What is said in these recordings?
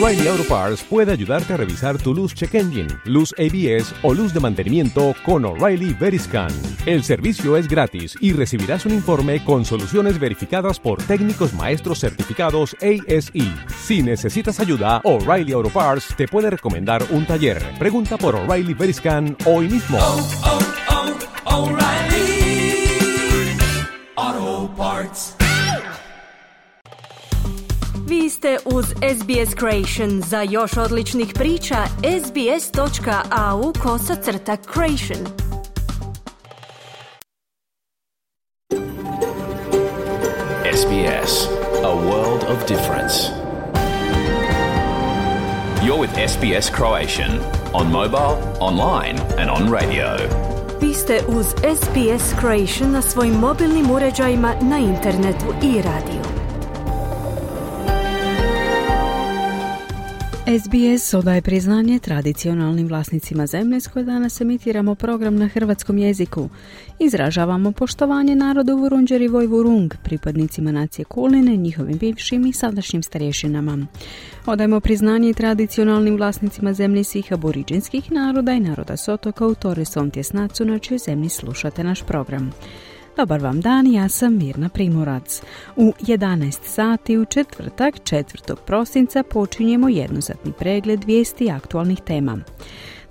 O'Reilly Auto Parts puede ayudarte a revisar tu luz check engine, luz ABS o luz de mantenimiento con O'Reilly Veriscan. El servicio es gratis y recibirás un informe con soluciones verificadas por técnicos maestros certificados ASE. Si necesitas ayuda, O'Reilly Auto Parts te puede recomendar un taller. Pregunta por O'Reilly Veriscan hoy mismo. O'Reilly Auto Parts. Vi ste uz SBS Creation. Za još odličnih priča, sbs.au/creation. SBS, a world of difference. You're with SBS Croatian on mobile, online and on radio. Vi ste uz SBS Creation na svojim mobilnim uređajima, na internetu i radiju. SBS odaje priznanje tradicionalnim vlasnicima zemlje s koje danas emitiramo program na hrvatskom jeziku. Izražavamo poštovanje narodu Vurundjeri Vojvurung, pripadnicima nacije Kulin, njihovim bivšim i sadašnjim starješinama. Odajemo priznanje tradicionalnim vlasnicima zemlje svih aboriđinskih naroda i naroda s otoka u Torres Strait Nacu, na čijoj zemlji slušate naš program. Dobar vam dan, ja sam Mirna Primorac. U 11 sati u četvrtak, 4. prosinca, počinjemo jednosatni pregled vijesti i aktualnih tema.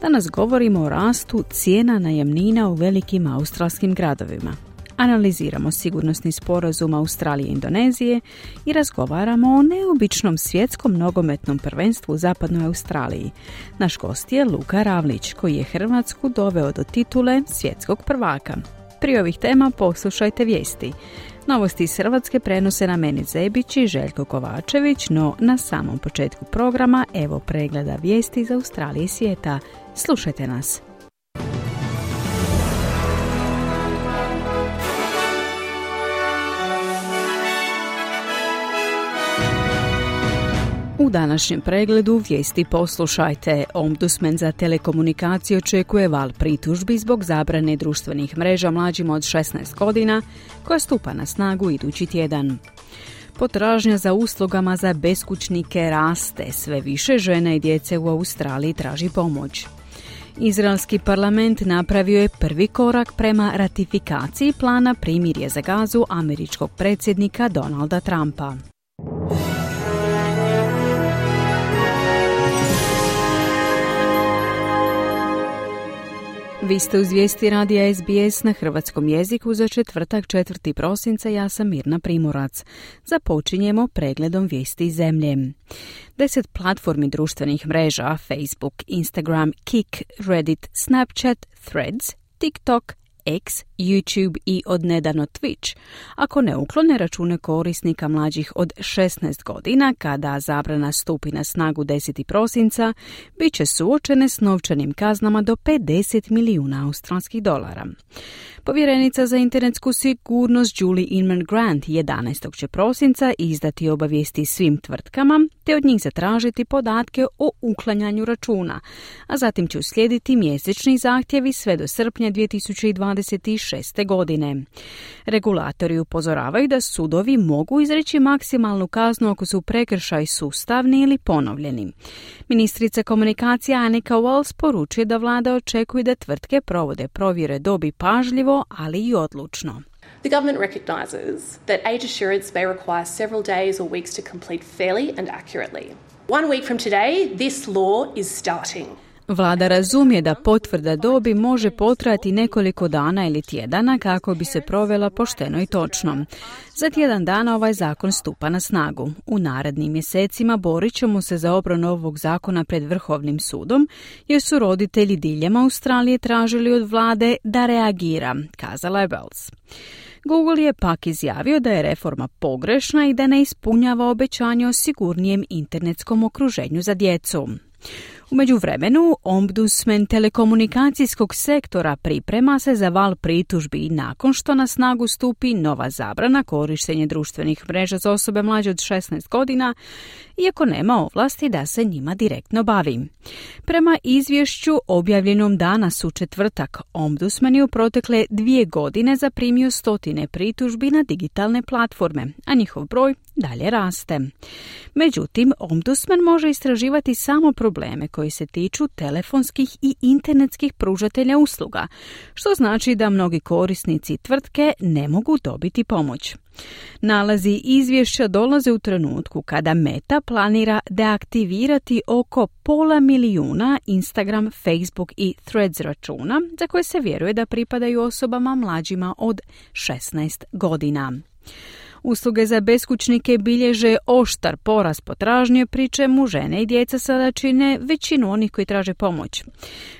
Danas govorimo o rastu cijena najamnina u velikim australskim gradovima. Analiziramo sigurnosni sporazum Australije i Indonezije i razgovaramo o neobičnom svjetskom nogometnom prvenstvu u zapadnoj Australiji. Naš gost je Luka Ravlić, koji je Hrvatsku doveo do titule svjetskog prvaka. Prije ovih tema poslušajte vijesti. Novosti iz Hrvatske prenose na meni Zebić i Željko Kovačević, no na samom početku programa evo pregleda vijesti iz Australije i svijeta. Slušajte nas. U današnjem pregledu vijesti poslušajte. Ombudsman za telekomunikacije očekuje val pritužbi zbog zabrane društvenih mreža mlađima od 16 godina, koja stupa na snagu idući tjedan. Potražnja za uslugama za beskućnike raste. Sve više žena i djece u Australiji traži pomoć. Izraelski parlament napravio je prvi korak prema ratifikaciji plana primirja za Gazu američkog predsjednika Donalda Trumpa. Vi ste uz vijesti radija SBS na hrvatskom jeziku za četvrtak, 4. prosinca. Ja sam Mirna Primorac. Započinjemo pregledom vijesti iz zemlje. 10 platformi društvenih mreža Facebook, Instagram, Kik, Reddit, Snapchat, Threads, TikTok, X, YouTube i odnedavno Twitch, ako ne uklone račune korisnika mlađih od 16 godina, kada zabrana stupi na snagu 10. prosinca, bit će suočene s novčanim kaznama do $50 milijuna australskih dolara. Povjerenica za internetsku sigurnost Julie Inman Grant 11. će prosinca izdati obavijesti svim tvrtkama te od njih zatražiti podatke o uklanjanju računa, a zatim će uslijediti mjesečni zahtjevi sve do srpnja 2026. godine. Regulatori upozoravaju da sudovi mogu izreći maksimalnu kaznu ako su prekršaj sustavni ili ponovljeni. Ministrica komunikacija Annika Wells poručuje da vlada očekuje da tvrtke provode provjere dobi pažljivo, ali i odlučno. The government recognises that age assurance may require several days or weeks to complete fairly and accurately. 1 week from today, this law is starting. Vlada razumije da potvrda dobi može potrajati nekoliko dana ili tjedana kako bi se provela pošteno i točno. Za tjedan dana ovaj zakon stupa na snagu. U narednim mjesecima borit ćemo se za obranu ovog zakona pred Vrhovnim sudom, jer su roditelji diljem Australije tražili od vlade da reagira, kazala je Wells. Google je pak izjavio da je reforma pogrešna i da ne ispunjava obećanje o sigurnijem internetskom okruženju za djecu. U međuvremenu, ombudsman telekomunikacijskog sektora priprema se za val pritužbi nakon što na snagu stupi nova zabrana korištenja društvenih mreža za osobe mlađe od 16 godina, iako nema ovlasti da se njima direktno bavi. Prema izvješću objavljenom danas u četvrtak, ombudsman je u protekle 2 godine zaprimio 100 pritužbi na digitalne platforme, a njihov broj dalje raste. Međutim, ombudsman može istraživati samo probleme koji se tiču telefonskih i internetskih pružatelja usluga, što znači da mnogi korisnici tvrtke ne mogu dobiti pomoć. Nalazi izvješća dolaze u trenutku kada Meta planira deaktivirati oko 500.000 Instagram, Facebook i Threads računa za koje se vjeruje da pripadaju osobama mlađima od 16 godina. Usluge za beskućnike bilježe oštar porast potražnje, pri čemu žene i djeca sada čine većinu onih koji traže pomoć.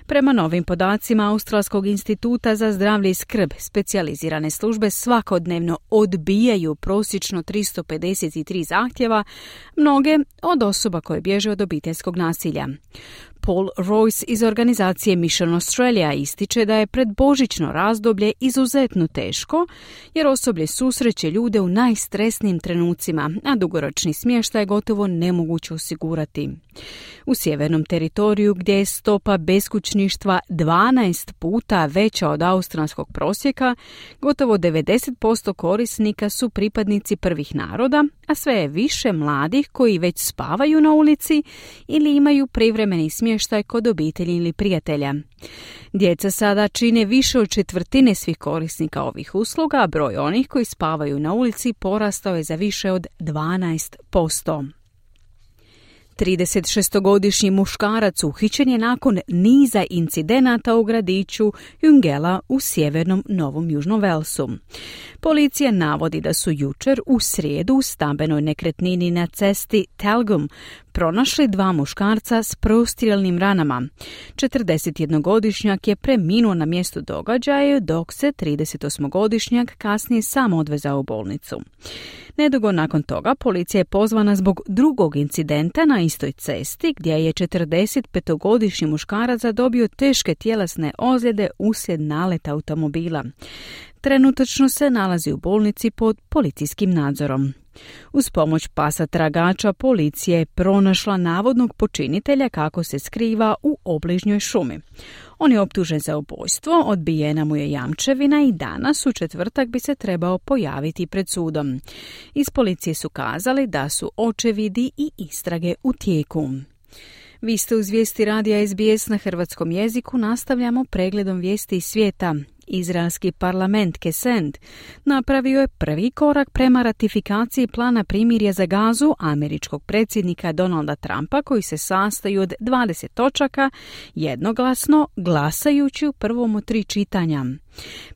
Prema novim podacima Australskog instituta za zdravlje i skrb, specijalizirane službe svakodnevno odbijaju prosječno 353 zahtjeva, mnoge od osoba koje bježe od obiteljskog nasilja. Paul Royce iz organizacije Mission Australia ističe da je predbožićno razdoblje izuzetno teško, jer osoblje susreće ljude u najstresnijim trenucima, a dugoročni smještaj je gotovo nemoguće osigurati. U sjevernom teritoriju, gdje je stopa beskućništva 12 puta veća od australskog prosjeka, gotovo 90% korisnika su pripadnici prvih naroda, a sve je više mladih koji već spavaju na ulici ili imaju privremeni smještaj kod obitelji ili prijatelja. Djeca sada čine više od 1/4 svih korisnika ovih usluga, a broj onih koji spavaju na ulici porastao je za više od 12%. 36-godišnji muškarac uhićen je nakon niza incidenata u gradiću Jungela u sjevernom Novom Južnom Velsu. Policija navodi da su jučer u srijedu u stambenoj nekretnini na cesti Telgum pronašli 2 muškarca s prostrijelnim ranama. 41-godišnjak je preminuo na mjestu događaja, dok se 38-godišnjak kasnije sam odvezao u bolnicu. Nedugo nakon toga policija je pozvana zbog drugog incidenta na istoj cesti, gdje je 45-godišnji muškarac zadobio teške tjelesne ozljede uslijed naleta automobila. Trenutačno se nalazi u bolnici pod policijskim nadzorom. Uz pomoć pasa tragača policija je pronašla navodnog počinitelja kako se skriva u obližnjoj šumi. On je optužen za ubojstvo, odbijena mu je jamčevina i danas u četvrtak bi se trebao pojaviti pred sudom. Iz policije su kazali da su očevidi i istrage u tijeku. Vi ste uz vijesti radija SBS na hrvatskom jeziku, nastavljamo pregledom vijesti iz svijeta. Izraelski parlament Knesset napravio je prvi korak prema ratifikaciji plana primirja za Gazu američkog predsjednika Donalda Trumpa, koji se sastoji od 20 točaka, jednoglasno glasajući u prvom od 3 čitanja.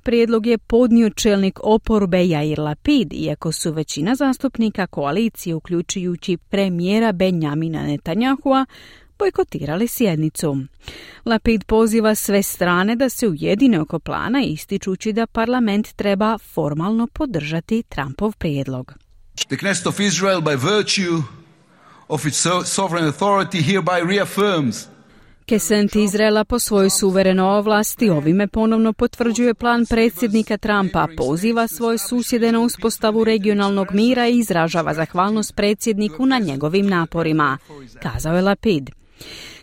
Prijedlog je podnio čelnik oporbe Yair Lapid, iako su većina zastupnika koalicije, uključujući premijera Benjamina Netanyahua, bojkotirali sjednicu. Lapid poziva sve strane da se ujedine oko plana, ističući da parlament treba formalno podržati Trumpov prijedlog. The Knesset of Israel, by virtue of its sovereign authority, hereby reaffirms Knesset Izraela po svojoj suverenoj ovlasti ovime ponovno potvrđuje plan predsjednika Trumpa, poziva svoje susjede na uspostavu regionalnog mira i izražava zahvalnost predsjedniku na njegovim naporima, kazao je Lapid.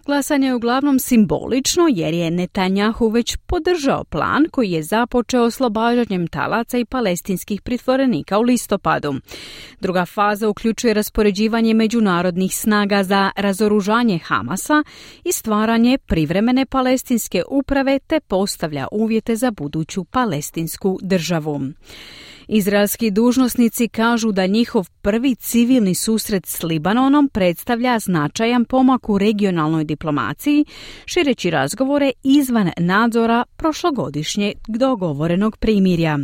Glasanje je uglavnom simbolično jer je Netanjahu već podržao plan koji je započeo oslobađanjem talaca i palestinskih pritvorenika u listopadu. Druga faza uključuje raspoređivanje međunarodnih snaga za razoružanje Hamasa i stvaranje privremene palestinske uprave te postavlja uvjete za buduću palestinsku državu. Izraelski dužnosnici kažu da njihov prvi civilni susret s Libanonom predstavlja značajan pomak u regionalnoj diplomaciji, šireći razgovore izvan nadzora prošlogodišnjeg dogovorenog primirja.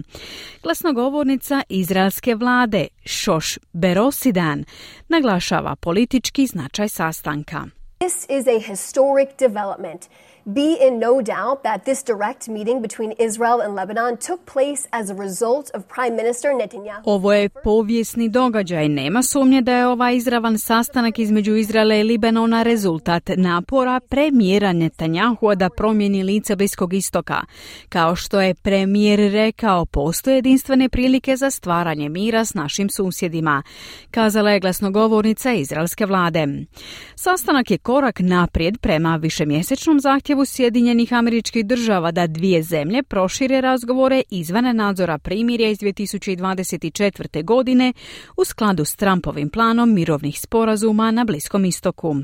Glasnogovornica izraelske vlade Shosh Berosidan naglašava politički značaj sastanka. This is a historic development. be in no doubt that this direct meeting between Israel and Lebanon took place as a result of Prime Minister Netanyahu. Ovo je povijesni događaj. Nema sumnje da je ovaj izravan sastanak između Izraela i Libanona rezultat napora premijera Netanyahua da promijeni lice Bliskog istoka. Kao što je premijer rekao, postoje jedinstvene prilike za stvaranje mira s našim susjedima, kazala je glasnogovornica izraelske vlade. Sastanak je korak naprijed prema višemjesečnom zahtjevu Sjedinjenih Američkih Država da dvije zemlje prošire razgovore izvan nadzora primirja iz 2024. godine u skladu s Trumpovim planom mirovnih sporazuma na Bliskom istoku.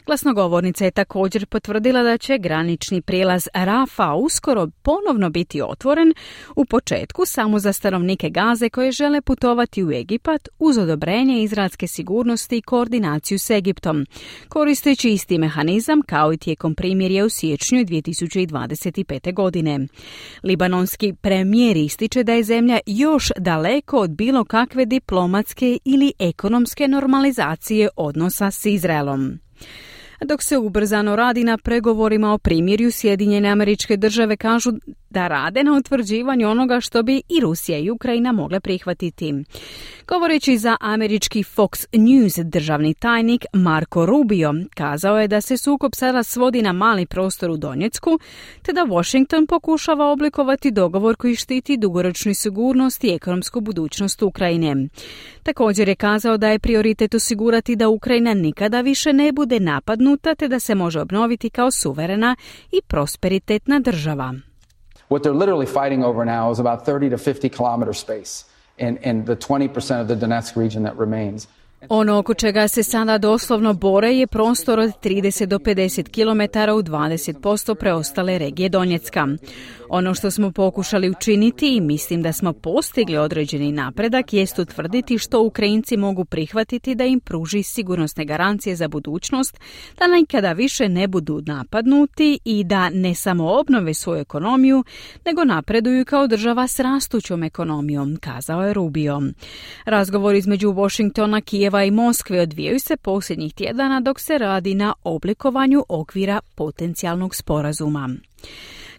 Glasnogovornica je također potvrdila da će granični prijelaz Rafa uskoro ponovno biti otvoren, u početku samo za stanovnike Gaze koje žele putovati u Egipat uz odobrenje izraelske sigurnosti i koordinaciju s Egiptom, koristeći isti mehanizam kao i tijekom primirja u siječnju 2025. godine. Libanonski premijer ističe da je zemlja još daleko od bilo kakve diplomatske ili ekonomske normalizacije odnosa s Izraelom. Dok se ubrzano radi na pregovorima o primirju, Sjedinjene Američke Države kažu da rade na utvrđivanju onoga što bi i Rusija i Ukrajina mogle prihvatiti. Govoreći za američki Fox News, državni tajnik Marco Rubio kazao je da se sukob sada svodi na mali prostor u Donjecku, te da Washington pokušava oblikovati dogovor koji štiti dugoročnu sigurnost i ekonomsku budućnost Ukrajine. Također je kazao da je prioritet osigurati da Ukrajina nikada više ne bude napadnuta, te da se može obnoviti kao suverena i prosperitetna država. What they're literally fighting over now is about 30 to 50 kilometer space and the 20% of the Donetsk region that remains. Ono oko čega se sada doslovno bore je prostor od 30 do 50 km u 20% preostale regije Donjecka. Ono što smo pokušali učiniti i mislim da smo postigli određeni napredak jest utvrditi što Ukrajinci mogu prihvatiti da im pruži sigurnosne garancije za budućnost, da nikada više ne budu napadnuti i da ne samo obnove svoju ekonomiju, nego napreduju kao država s rastućom ekonomijom, kazao je Rubio. Razgovor između Washingtona, Kijeva i Moskve odvijaju se posljednjih tjedana dok se radi na oblikovanju okvira potencijalnog sporazuma.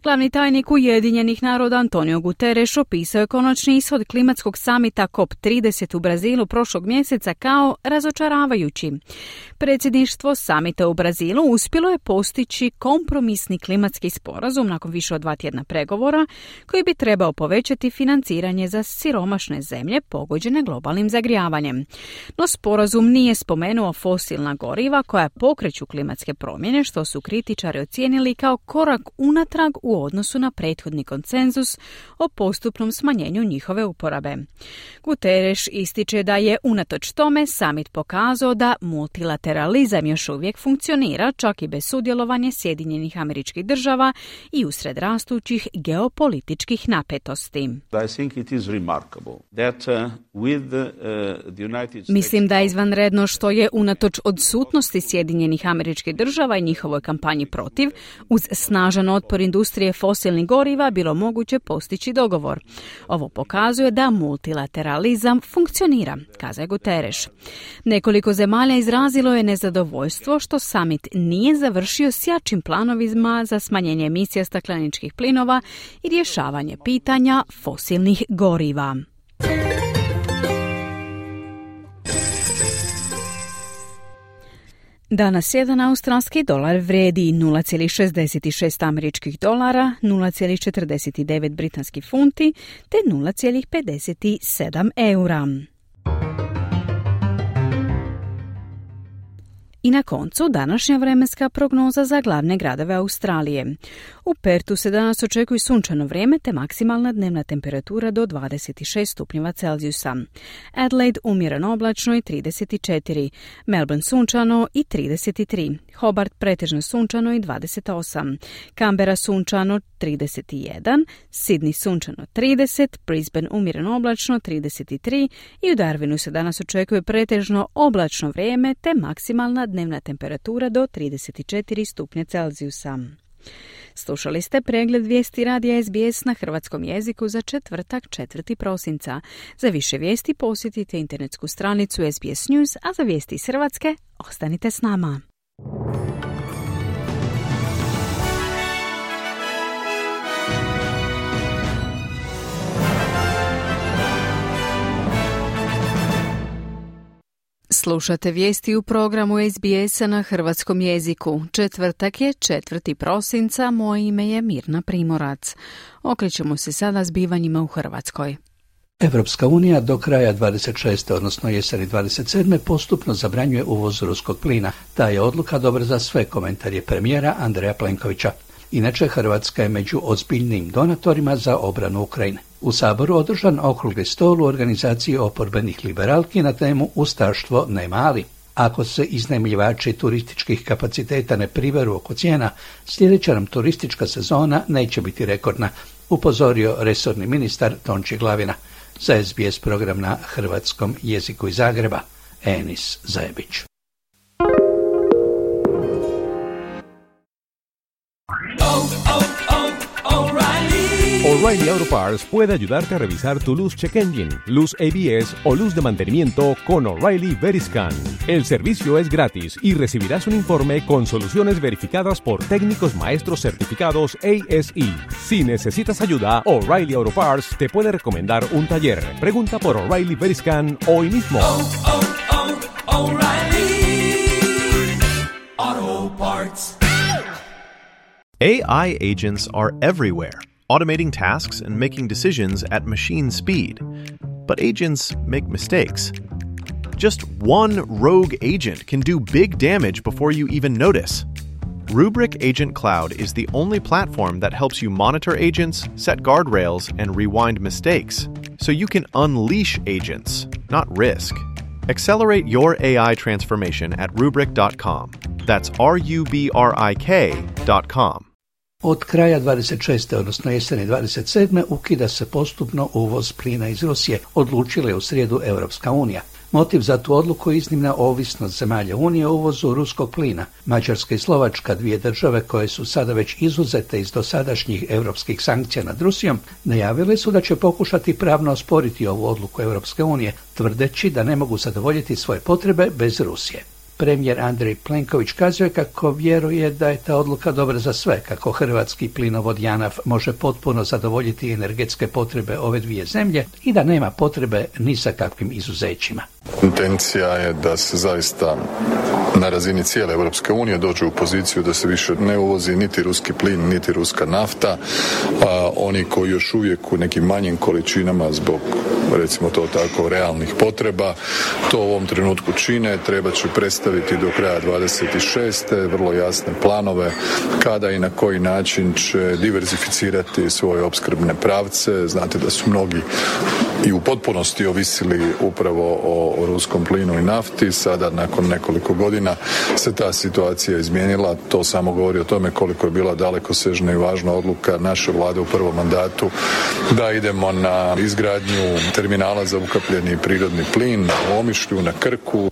Glavni tajnik Ujedinjenih naroda Antonio Guterres opisao je konačni ishod klimatskog samita COP30 u Brazilu prošlog mjeseca kao razočaravajući. Predsjedništvo samita u Brazilu uspjelo je postići kompromisni klimatski sporazum nakon više od 2 tjedna pregovora koji bi trebao povećati financiranje za siromašne zemlje pogođene globalnim zagrijavanjem. No sporazum nije spomenuo fosilna goriva koja pokreću klimatske promjene, što su kritičari ocijenili kao korak unatrag u odnosu na prethodni konsenzus o postupnom smanjenju njihove uporabe. Guterres ističe da je unatoč tome samit pokazao da multilateralizam još uvijek funkcionira čak i bez sudjelovanja Sjedinjenih Američkih Država i usred rastućih geopolitičkih napetosti. Mislim da je izvanredno što je unatoč odsutnosti Sjedinjenih Američkih Država i njihovoj kampanji protiv, uz snažan otpor industrije fosilnih goriva bilo moguće postići dogovor. Ovo pokazuje da multilateralizam funkcionira, kazao je Guterres. Nekoliko zemalja izrazilo je nezadovoljstvo što summit nije završio s jačim planovima za smanjenje emisija stakleničkih plinova i rješavanje pitanja fosilnih goriva. Danas jedan australski dolar vrijedi 0,66 američkih dolara, 0,49 britanskih funti te 0,57 eura. I na koncu današnja vremenska prognoza za glavne gradove Australije. U Pertu se danas očekuje sunčano vrijeme te maksimalna dnevna temperatura do 26 stupnjeva Celzijusa. Adelaide umjereno oblačno i 34, Melbourne sunčano i 33, Hobart pretežno sunčano i 28, Canberra sunčano 31, Sydney sunčano 30, Brisbane umjereno oblačno 33 i u Darwinu se danas očekuje pretežno oblačno vrijeme te maksimalna dnevna temperatura do 34 stupnja Celzijusa. Slušali ste pregled vijesti radija SBS na hrvatskom jeziku za četvrtak 4. prosinca. Za više vijesti posjetite internetsku stranicu SBS News, a za vijesti iz Hrvatske ostanite s nama. Slušate vijesti u programu SBS-a na hrvatskom jeziku. Četvrtak je 4. prosinca, moje ime je Mirna Primorac. Okrećemo se sada zbivanjima u Hrvatskoj. Evropska unija do kraja 26. odnosno jeseni 27. postupno zabranjuje uvoz ruskog plina. Ta je odluka dobra za sve, komentar je premijera Andreja Plenkovića. Inače, Hrvatska je među ozbiljnim donatorima za obranu Ukrajine. U Saboru održan okrugli stol u organizaciji oporbenih liberalki na temu Ustaštvo nema ali. Ako se iznajmljivači turističkih kapaciteta ne priveru oko cijena, sljedeća nam turistička sezona neće biti rekordna, upozorio resorni ministar Tonči Glavina. Za SBS program na hrvatskom jeziku iz Zagreba, Enis Zajebić. O'Reilly Auto Parts puede ayudarte a revisar tu luz check engine, luz ABS o luz de mantenimiento con O'Reilly Veriscan. El servicio es gratis y recibirás un informe con soluciones verificadas por técnicos maestros certificados ASE. Si necesitas ayuda, O'Reilly Auto Parts te puede recomendar un taller. Pregunta por O'Reilly Veriscan hoy mismo. O'Reilly Auto Parts. AI agents are everywhere, automating tasks and making decisions at machine speed. But agents make mistakes. Just one rogue agent can do big damage before you even notice. Rubrik Agent Cloud is the only platform that helps you monitor agents, set guardrails, and rewind mistakes, so you can unleash agents, not risk. Accelerate your AI transformation at Rubrik.com. That's RUBRIK.com. Od kraja 26. odnosno jeseni 27. ukida se postupno uvoz plina iz Rusije, odlučila je u srijedu Europska unija. Motiv za tu odluku je iznimna ovisnost zemalja Unije o uvozu ruskog plina. Mađarska i Slovačka, dvije države koje su sada već izuzete iz dosadašnjih europskih sankcija nad Rusijom, najavile su da će pokušati pravno osporiti ovu odluku Europske unije, tvrdeći da ne mogu zadovoljiti svoje potrebe bez Rusije. Premijer Andrej Plenković kazuje kako vjeruje da je ta odluka dobra za sve, kako hrvatski plinovod JANAF može potpuno zadovoljiti energetske potrebe ove dvije zemlje i da nema potrebe ni sa kakvim izuzećima. Intencija je da se zaista na razini cijele Europske unije dođe u poziciju da se više ne uvozi niti ruski plin, niti ruska nafta. Oni koji još uvijek u nekim manjim količinama zbog, recimo to tako, realnih potreba, to u ovom trenutku čine, treba će predstaviti do kraja 26. vrlo jasne planove kada i na koji način će diversificirati svoje opskrbne pravce. Znate da su mnogi i u potpunosti ovisili upravo o ruskom plinu i nafti. Sada nakon nekoliko godina se ta situacija izmijenila. To samo govori o tome koliko je bila dalekosežna i važna odluka naše vlade u prvom mandatu da idemo na izgradnju terminala za ukapljeni prirodni plin u Omišlju, na Krku.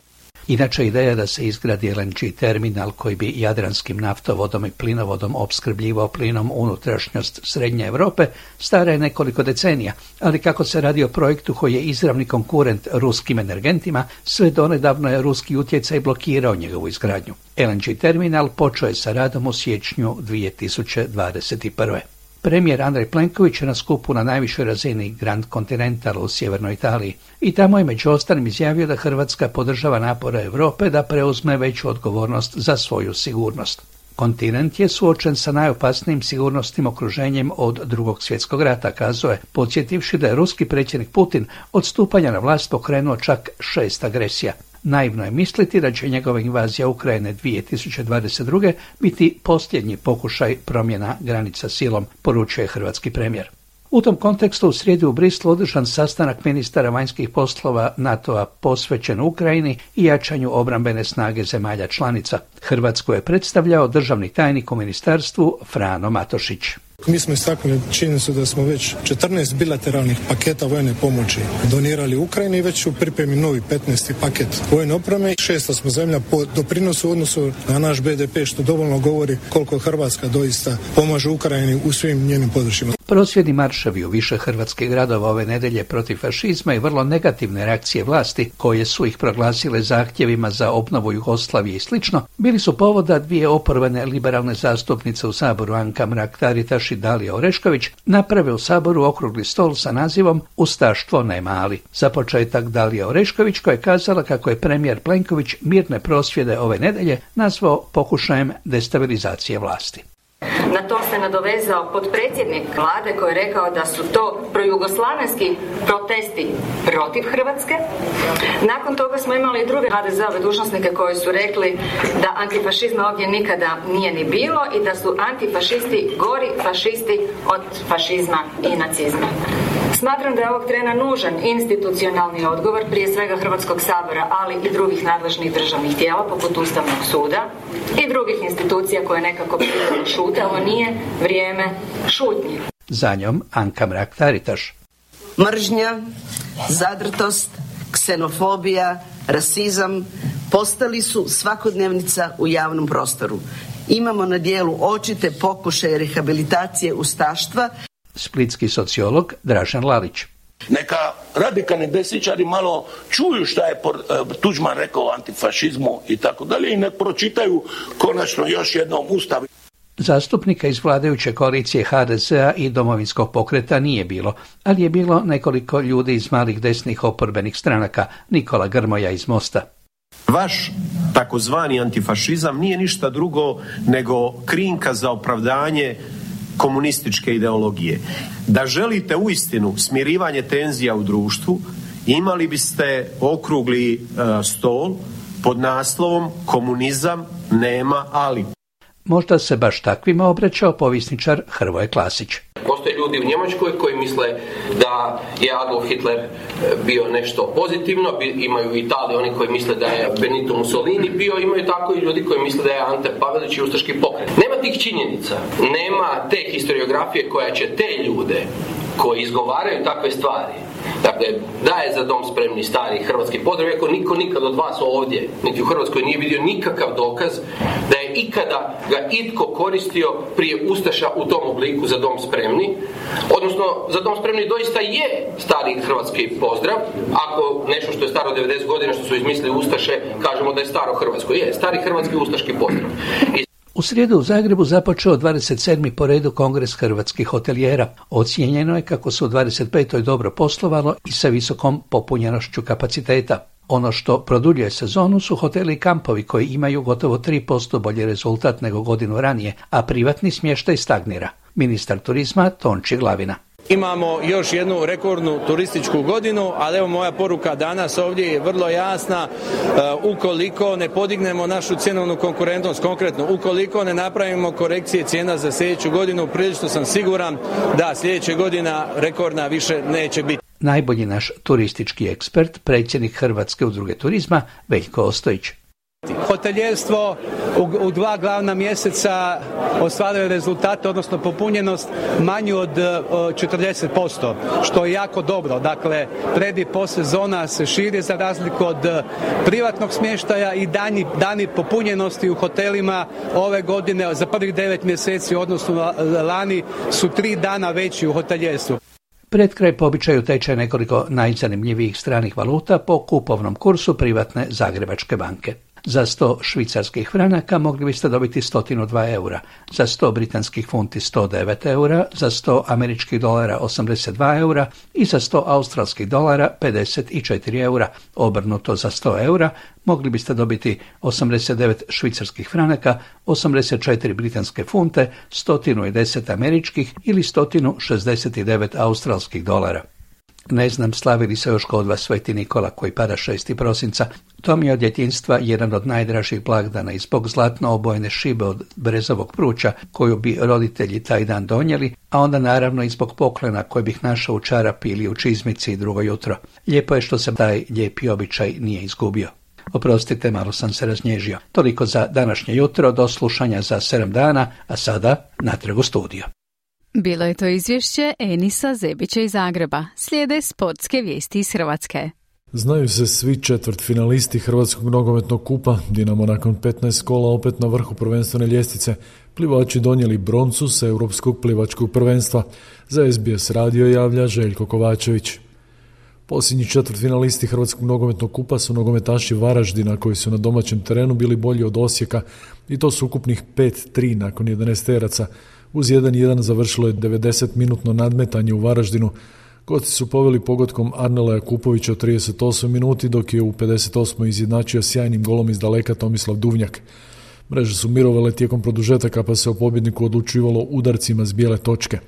Inače, ideja da se izgradi LNG terminal koji bi jadranskim naftovodom i plinovodom opskrbljivao plinom unutrašnjost Srednje Europe stara je nekoliko decenija, ali kako se radi o projektu koji je izravni konkurent ruskim energentima, sve donedavno je ruski utjecaj blokirao njegovu izgradnju. LNG terminal počeo je sa radom u siječnju 2021. Premijer Andrej Plenković je na skupu na najvišoj razini Grand Continental u sjevernoj Italiji i tamo je među ostalim izjavio da Hrvatska podržava napore Europe da preuzme veću odgovornost za svoju sigurnost. Kontinent je suočen sa najopasnijim sigurnosnim okruženjem od Drugog svjetskog rata, kazao je, podsjetivši da je ruski predsjednik Putin od stupanja na vlast pokrenuo čak 6 agresija. Naivno je misliti da će njegova invazija Ukrajine 2022. biti posljednji pokušaj promjena granica silom, poručuje hrvatski premijer. U tom kontekstu u srijedu u Brislu održan sastanak ministara vanjskih poslova NATO-a posvećen Ukrajini i jačanju obrambene snage zemalja članica. Hrvatsku je predstavljao državni tajnik u ministarstvu Frano Matošić. Mi smo istaknuli činjenicu da smo već 14 bilateralnih paketa vojne pomoći donirali Ukrajini i već u pripremi novi 15. paket vojne opreme. 6. smo zemlja po doprinosu u odnosu na naš BDP, što dovoljno govori koliko Hrvatska doista pomaže Ukrajini u svim njenim područjima. Prosvjedni marševi u više hrvatskih gradova ove nedjelje protiv fašizma i vrlo negativne reakcije vlasti, koje su ih proglasile zahtjevima za obnovu Jugoslavije i slično, bili su povoda dvije oporbene liberalne zastupnice u Saboru, Anka Mrak-Taritaš i Dalija Orešković, naprave u Saboru okrugli stol sa nazivom Ustaštvo ne mali. Za početak Dalija Orešković, koja je kazala kako je premijer Plenković mirne prosvjede ove nedjelje nazvao pokušajem destabilizacije vlasti. Na to se nadovezao potpredsjednik vlade koji je rekao da su to projugoslavenski protesti protiv Hrvatske. Nakon toga smo imali i druge HDZ-ove dužnosnike koji su rekli da antifašizma ovdje nikada nije ni bilo i da su antifašisti gori fašisti od fašizma i nacizma. Smatram da je ovog trena nužan institucionalni odgovor, prije svega Hrvatskog sabora, ali i drugih nadležnih državnih tijela, poput Ustavnog suda i drugih institucija koje nekako prirodno šute. Ovo nije vrijeme šutnje. Za njom Anka Mrak-Taritaš. Mržnja, zadrtost, ksenofobija, rasizam postali su svakodnevnica u javnom prostoru. Imamo na dijelu očite pokušaje rehabilitacije ustaštva. Splitski sociolog Dražen Lalić. Neka radikalni desničari malo čuju šta je Tuđman rekao o antifašizmu i tako dalje i nek pročitaju konačno još jednom Ustav. Zastupnika iz vladajuće koalicije HDZ-a i Domovinskog pokreta nije bilo, ali je bilo nekoliko ljudi iz malih desnih oporbenih stranaka, Nikola Grmoja iz Mosta. Vaš takozvani antifašizam nije ništa drugo nego krinka za opravdanje komunističke ideologije. Da želite uistinu smirivanje tenzija u društvu, imali biste okrugli stol pod naslovom Komunizam nema ali. Možda se baš takvima obraćao povjesničar Hrvoje Klasić. Postoje ljudi u Njemačkoj koji misle da je Adolf Hitler bio nešto pozitivno, imaju u Italiji oni koji misle da je Benito Mussolini bio, imaju tako i ljudi koji misle da je Ante Pavelić i ustaški pokret. Nema tih činjenica, nema te historiografije koja će te ljude koji izgovaraju takve stvari, dakle, da je za dom spremni stari hrvatski pozdrav, iako niko nikad od vas ovdje, niti u Hrvatskoj nije vidio nikakav dokaz da je ikada ga itko koristio prije ustaša u tom obliku za dom spremni, odnosno za dom spremni doista je stari hrvatski pozdrav, ako nešto što je staro 90 godina što su izmislili ustaše, kažemo da je staro hrvatsko, je stari hrvatski ustaški pozdrav. U srijedu u Zagrebu započeo 27. po redu Kongres hrvatskih hotelijera. Ocijenjeno je kako su u 25. dobro poslovalo i sa visokom popunjenošću kapaciteta. Ono što produljuje sezonu su hoteli i kampovi koji imaju gotovo 3% bolji rezultat nego godinu ranije, a privatni smještaj stagnira. Ministar turizma Tonči Glavina. Imamo još jednu rekordnu turističku godinu, ali evo moja poruka danas ovdje je vrlo jasna. Ukoliko ne podignemo našu cjenovnu konkurentnost, konkretno ukoliko ne napravimo korekcije cijena za sljedeću godinu, prilično sam siguran da sljedeća godina rekordna više neće biti. Najbolji naš turistički ekspert, predsjednik Hrvatske udruge turizma Veljko Ostojić. Hoteljerstvo u 2 glavna mjeseca ostvaruje rezultate, odnosno popunjenost manju od 40%, što je jako dobro. Dakle, pred i postsezona se širi za razliku od privatnog smještaja i dani popunjenosti u hotelima ove godine za prvih 9 mjeseci u odnosu na lani su 3 dana veći u hoteljerstvu. Pred kraj po običaju teče nekoliko najzanimljivijih stranih valuta po kupovnom kursu privatne Zagrebačke banke. Za 100 švicarskih franaka mogli biste dobiti 102 eura, za 100 britanskih funti 109 eura, za 100 američkih dolara 82 eura i za 100 australskih dolara 54 eura. Obrnuto za 100 eura mogli biste dobiti 89 švicarskih franaka, 84 britanske funte, 110 američkih ili 169 australskih dolara. Ne znam, slavili se još kod vas Sveti Nikola koji pada 6. prosinca. To mi je od djetinjstva jedan od najdražih blagdana i zbog zlatno obojene šibe od brezovog pruća koju bi roditelji taj dan donijeli, a onda naravno i zbog poklona koji bih našao u čarapi ili u čizmici drugo jutro. Lijepo je što se taj lijepi običaj nije izgubio. Oprostite, malo sam se raznježio. Toliko za današnje jutro, do slušanja za 7 dana, a sada natrag u studio. Bilo je to izvješće Enisa Zebića iz Zagreba. Slijede sportske vijesti iz Hrvatske. Znaju se svi četvrtfinalisti Hrvatskog nogometnog kupa. Dinamo nakon 15 kola opet na vrhu prvenstvene ljestvice. Plivači donijeli broncu sa Europskog plivačkog prvenstva. Za SBS radio javlja Željko Kovačević. Posljednji četvrtfinalisti Hrvatskog nogometnog kupa su nogometaši Varaždina koji su na domaćem terenu bili bolji od Osijeka i to su ukupnih 5-3 nakon 11-teraca. Uz 1-1 završilo je 90-minutno nadmetanje u Varaždinu. Gosti su poveli pogodkom Arnela Jakupovića u 38 minuti, dok je u 58. izjednačio sjajnim golom iz daleka Tomislav Duvnjak. Mreže su mirovale tijekom produžetaka, pa se o pobjedniku odlučivalo udarcima s bijele točke.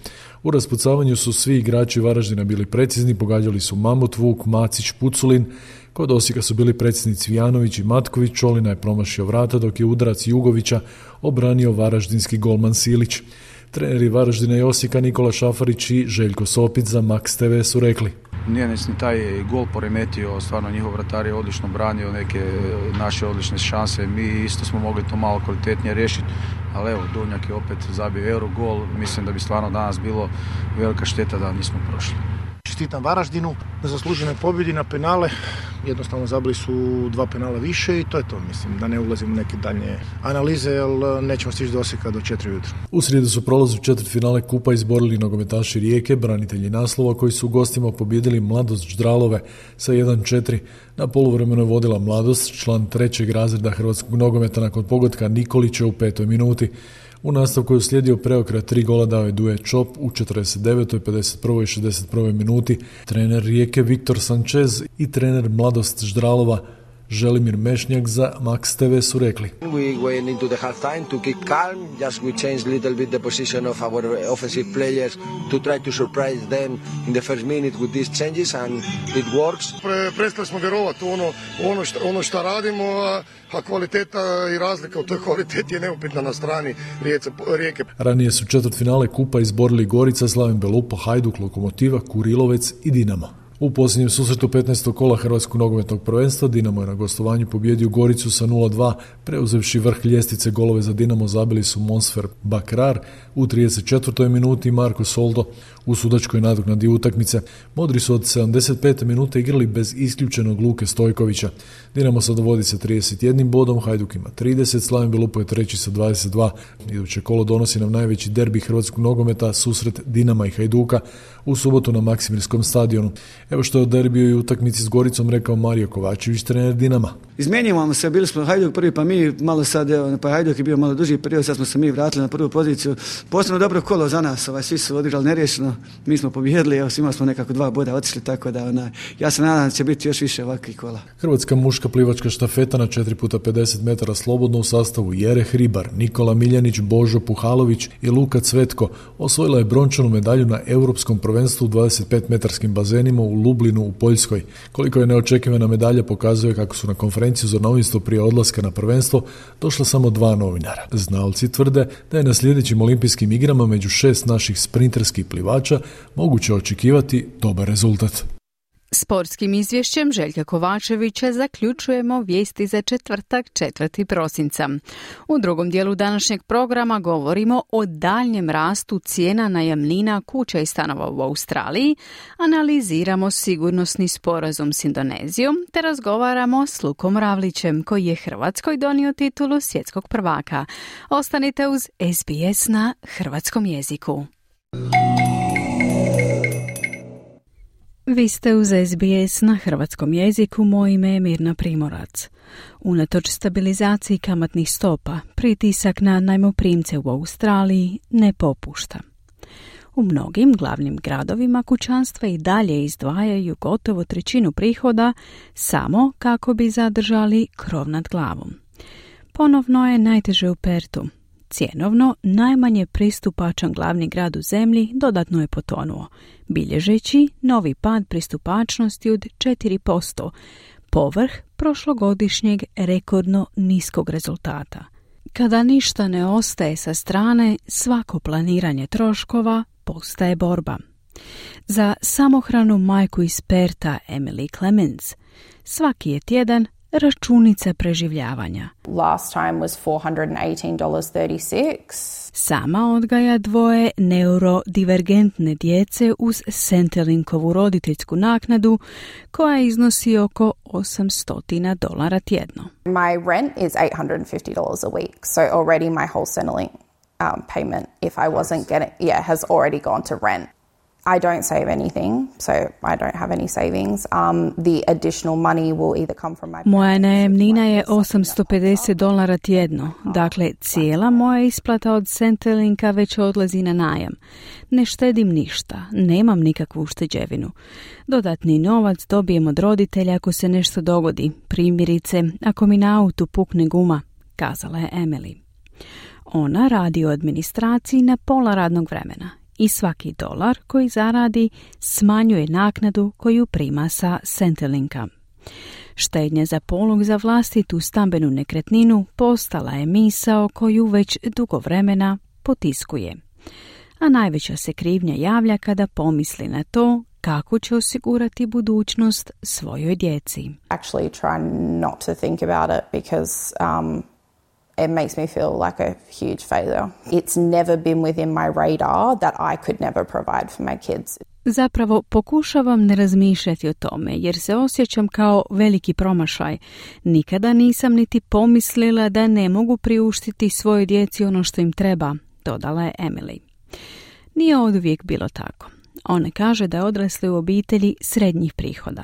U raspucavanju su svi igrači Varaždina bili precizni, pogađali su Mamut, Vuk, Macić, Puculin. Kod Osijeka su bili precizni Cvijanović i Matković, Čolina je promašio vrata, dok je udarac Jugovića obranio varaždinski golman Silić. Treneri Varaždina i Osijeka Nikola Šafarić i Željko Sopić za Max TV su rekli: Nije ni taj gol poremetio, stvarno njihov vratar je odlično branio neke naše odlične šanse, mi isto smo mogli to malo kvalitetnije riješiti, ali evo, Duvnjak je opet zabio Eurogol, mislim da bi stvarno danas bilo velika šteta da nismo prošli. Čestitam Varaždinu na zasluženoj pobjedi na penale, jednostavno zabili su 2 penala više i to je to, mislim, da ne ulazim u neke daljnje analize, jer nećemo stići do Osijeka do 4 ujutro. U srijedu su prolaz u četvrtfinale kupa izborili nogometaši Rijeke, branitelji naslova koji su u gostima pobijedili Mladost Ždralove sa 1-4. Na poluvremenu je vodila Mladost, član 3. razreda hrvatskog nogometa nakon pogotka Nikolića u 5. minuti. U nastavku je uslijedio preokret, 3 gola dao je Duje Čop u 49., 51. i 61. minuti. Trener Rijeke Viktor Sanchez i trener Mladost Ždralova Želimir Mešnjak za Max TV su rekli: We went into the half time to keep calm, just we changed little bit the position of our offensive players to try to surprise them in the first minute with these changes and it works. Prestali smo vjerovati u ono što radimo, a kvaliteta i razlika u toj kvaliteti je neupitna na strani Rijeke. Ranije su četvrtfinale kupa izborili Gorica, Slaven Belupo, Hajduk, Lokomotiva, Kurilovec i Dinamo. U posljednjem susretu 15. kola Hrvatskog nogometnog prvenstva Dinamo je na gostovanju pobijedio Goricu sa 0-2, preuzevši vrh ljestvice. Golove za Dinamo zabili su Monsfer Bakrar u 34. minuti i Marko Soldo u sudačkoj nadoknadi utakmice. Modri su od 75. minute igrali bez isključenog Luke Stojkovića. Dinamo sad vodi sa 31 bodom, Hajduk ima 30, Slaven Belupo je treći sa 22. Iduće kolo donosi nam najveći derbi hrvatskog nogometa, susret Dinama i Hajduka u subotu na Maksimirskom stadionu. Evo što je o derbiju i utakmici s Goricom rekao Mario Kovačević, trener Dinama. Izmijenjamo se, bili smo Hajduk prvi, pa mi malo sad, pa Hajduk je bio malo duži period, sad smo se mi vratili na prvu poziciju. Posebno dobro kolo za nas, svi su odigrali neriješeno, mi smo pobijedili, evo svima smo nekako 2 boda otišli, tako da ja se nadam da će biti još više ovakvih kola. Hrvatska muška plivačka štafeta na 4x50 metara slobodno u sastavu Jere Hribar, Nikola Miljanić, Božo Puhalović i Luka Cvetko osvojila je brončanu medalju na Europskom prvenstvu u 25-metarskim bazenima u Lublinu u Poljskoj. Koliko je neočekivana medalja pokazuje kako su na konferenciju za novinstvo prije odlaska na prvenstvo došla samo 2 novinara. Znalci tvrde da je na sljedećim olimpijskim igrama među 6 naših sprinterskih plivača moguće očekivati dobar rezultat. Sportskim izvješćem Željka Kovačevića zaključujemo vijesti za četvrtak 4. prosinca. U drugom dijelu današnjeg programa govorimo o daljnjem rastu cijena najamnina kuća i stanova u Australiji, analiziramo sigurnosni sporazum s Indonezijom te razgovaramo s Lukom Ravlićem koji je Hrvatskoj donio titulu svjetskog prvaka. Ostanite uz SBS na hrvatskom jeziku. Vi ste uz SBS na hrvatskom jeziku, moje ime je Mirna Primorac. Unatoč stabilizaciji kamatnih stopa, pritisak na najmoprimce u Australiji ne popušta. U mnogim glavnim gradovima kućanstva i dalje izdvajaju gotovo 1/3 prihoda samo kako bi zadržali krov nad glavom. Ponovno je najteže u Pertu. Cjenovno najmanje pristupačan glavni grad u zemlji dodatno je potonuo, bilježeći novi pad pristupačnosti od 4%, povrh prošlogodišnjeg rekordno niskog rezultata. Kada ništa ne ostaje sa strane, svako planiranje troškova postaje borba. Za samohranu majku iz Perta, Emily Clemens, svaki je tjedan računica preživljavanja. Last time was $418.36. Sama odgaja dvoje neurodivergentne djece uz Centrelinkovu roditeljsku naknadu koja iznosi oko $800 tjedno. My rent is $850 a week, so already my whole Centrelink payment, if I wasn't getting, has already gone to rent. I don't save anything, so I don't have any savings. The additional money will either come from my... Moja najamnina je $850 tjedno, dakle cijela moja isplata od Centrelinka već odlazi na najam. Ne štedim ništa, nemam nikakvu ušteđevinu. Dodatni novac dobijem od roditelja ako se nešto dogodi, primjerice ako mi na autu pukne guma, kazala je Emily. Ona radi u administraciji na pola radnog vremena i svaki dolar koji zaradi smanjuje naknadu koju prima sa Centrelinka. Štednja za polog za vlastitu stambenu nekretninu postala je misao koju već dugo vremena potiskuje. A najveća se krivnja javlja kada pomisli na to kako će osigurati budućnost svojoj djeci. Actually try not to think about it because it makes me feel like a huge failure. It's never been within my radar that I could never provide for my kids. Zapravo pokušavam ne razmišljati o tome jer se osjećam kao veliki promašaj. Nikada nisam niti pomislila da ne mogu priuštiti svojoj djeci ono što im treba, dodala je Emily. Nije oduvijek bilo tako. Ona kaže da je odrasla u obitelji srednjih prihoda.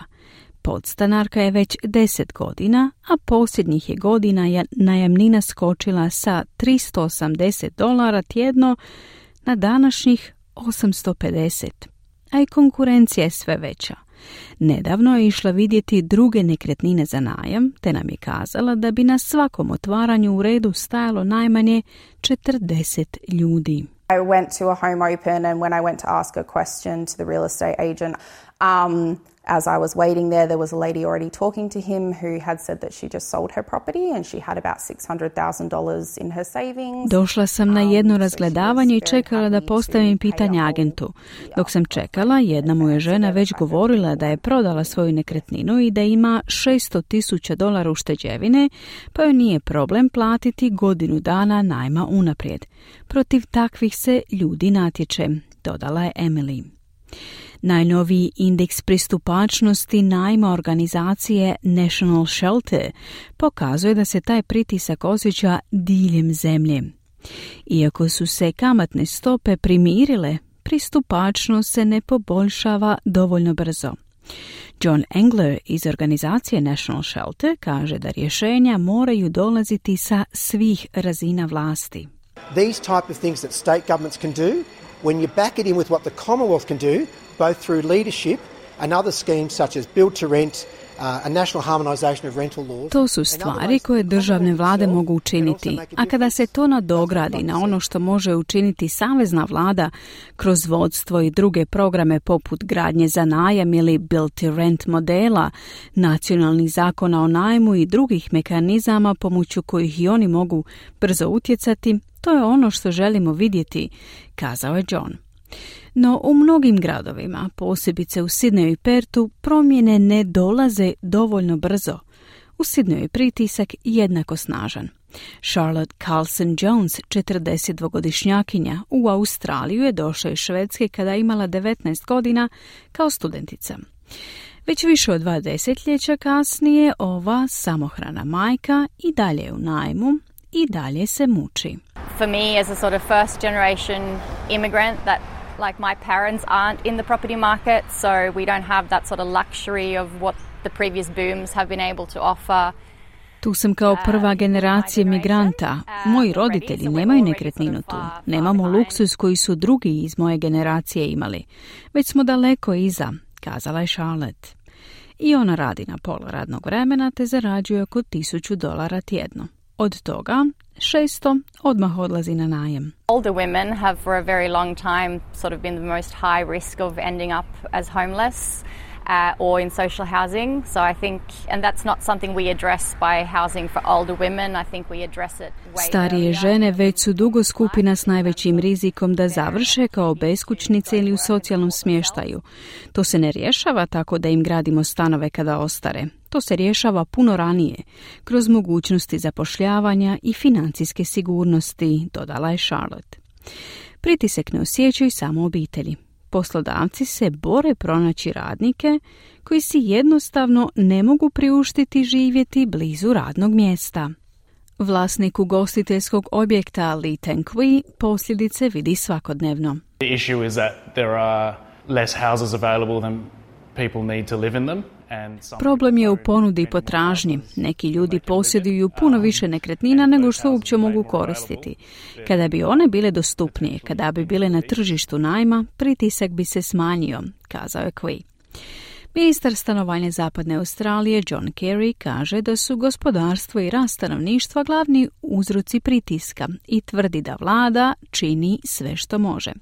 Podstanarka je već 10 godina, a posljednjih je godina je najamnina skočila sa $380 tjedno na današnjih $850, a i konkurencija je sve veća. Nedavno je išla vidjeti druge nekretnine za najam, te nam je kazala da bi na svakom otvaranju u redu stajalo najmanje 40 ljudi. I went to a home open and when I went to ask a question to the real estate agent, as I was waiting there was a lady already talking to him who had said that she just sold her property and she had about $600,000 in her savings. Došla sam na jedno razgledavanje i čekala da postavim pitanje agentu. Dok sam čekala, jedna mu je žena već govorila da je prodala svoju nekretninu i da ima $600,000 ušteđevine, pa joj nije problem platiti godinu dana najma unaprijed. Protiv takvih se ljudi natječe, dodala je Emily. Najnoviji indeks pristupačnosti najma organizacije National Shelter pokazuje da se taj pritisak osjeća diljem zemlje. Iako su se kamatne stope primirile, pristupačnost se ne poboljšava dovoljno brzo. John Engler iz organizacije National Shelter kaže da rješenja moraju dolaziti sa svih razina vlasti. These type of things that state governments can do, when you back it in with what the Commonwealth can do, both through leadership and other schemes such as build to rent, a national harmonization of rental laws. To su stvari koje državne vlade mogu učiniti, a kada se to nadogradi na ono što može učiniti savezna vlada kroz vodstvo i druge programe poput gradnje za najam ili build to rent modela, nacionalnih zakona o najmu i drugih mehanizama pomoću kojih i oni mogu brzo utjecati, to je ono što želimo vidjeti, kazao je John. No u mnogim gradovima, posebice u Sidneju i Pertu, promjene ne dolaze dovoljno brzo. U Sidneju je pritisak jednako snažan. Charlotte Carlson-Jones, 42-godišnjakinja, u Australiju je došla iz Švedske kada je imala 19 godina kao studentica. Već više od 2 desetljeća kasnije ova samohrana majka i dalje je u najmu i dalje se muči. For me as a sort of first generation immigrant that like my parents aren't in the property market, so we don't have that sort of luxury of what the previous booms have been able to offer. Tu sam kao prva generacija migranta. Moji roditelji nemaju nekretninu tu. Nemamo luksuz koji su drugi iz moje generacije imali. Već smo daleko iza, kazala je Charlotte. I ona radi na pola radnog vremena te zarađuje oko $1,000 tjedno. Od toga 600 odmah odlazi na najam. Older women have for a very long time sort of been the most high risk of ending up as homeless. or in social housing. So I think, and that's not something we address by housing for older women. I think we address it way Starije žene već su dugo skupina s najvećim rizikom da završe kao beskućnice ili u socijalnom smještaju. To se ne rješava tako da im gradimo stanove kada ostare. To se rješava puno ranije, kroz mogućnosti zapošljavanja i financijske sigurnosti, dodala je Charlotte. Pritisak ne osjećaju samo obitelji. Poslodavci se bore pronaći radnike koji si jednostavno ne mogu priuštiti živjeti blizu radnog mjesta. Vlasnik ugostiteljskog objekta Lee Teng-Kui posljedice vidi svakodnevno. The issue is that there are less houses available than people need to live in them. Problem je u ponudi i potražnji. Neki ljudi posjeduju puno više nekretnina nego što uopće mogu koristiti. Kada bi one bile dostupnije, kada bi bile na tržištu najma, pritisak bi se smanjio, kazao je Kui. Ministar stanovanja Zapadne Australije John Kerry kaže da su gospodarstvo i rast stanovništva glavni uzroci pritiska i tvrdi da vlada čini sve što može.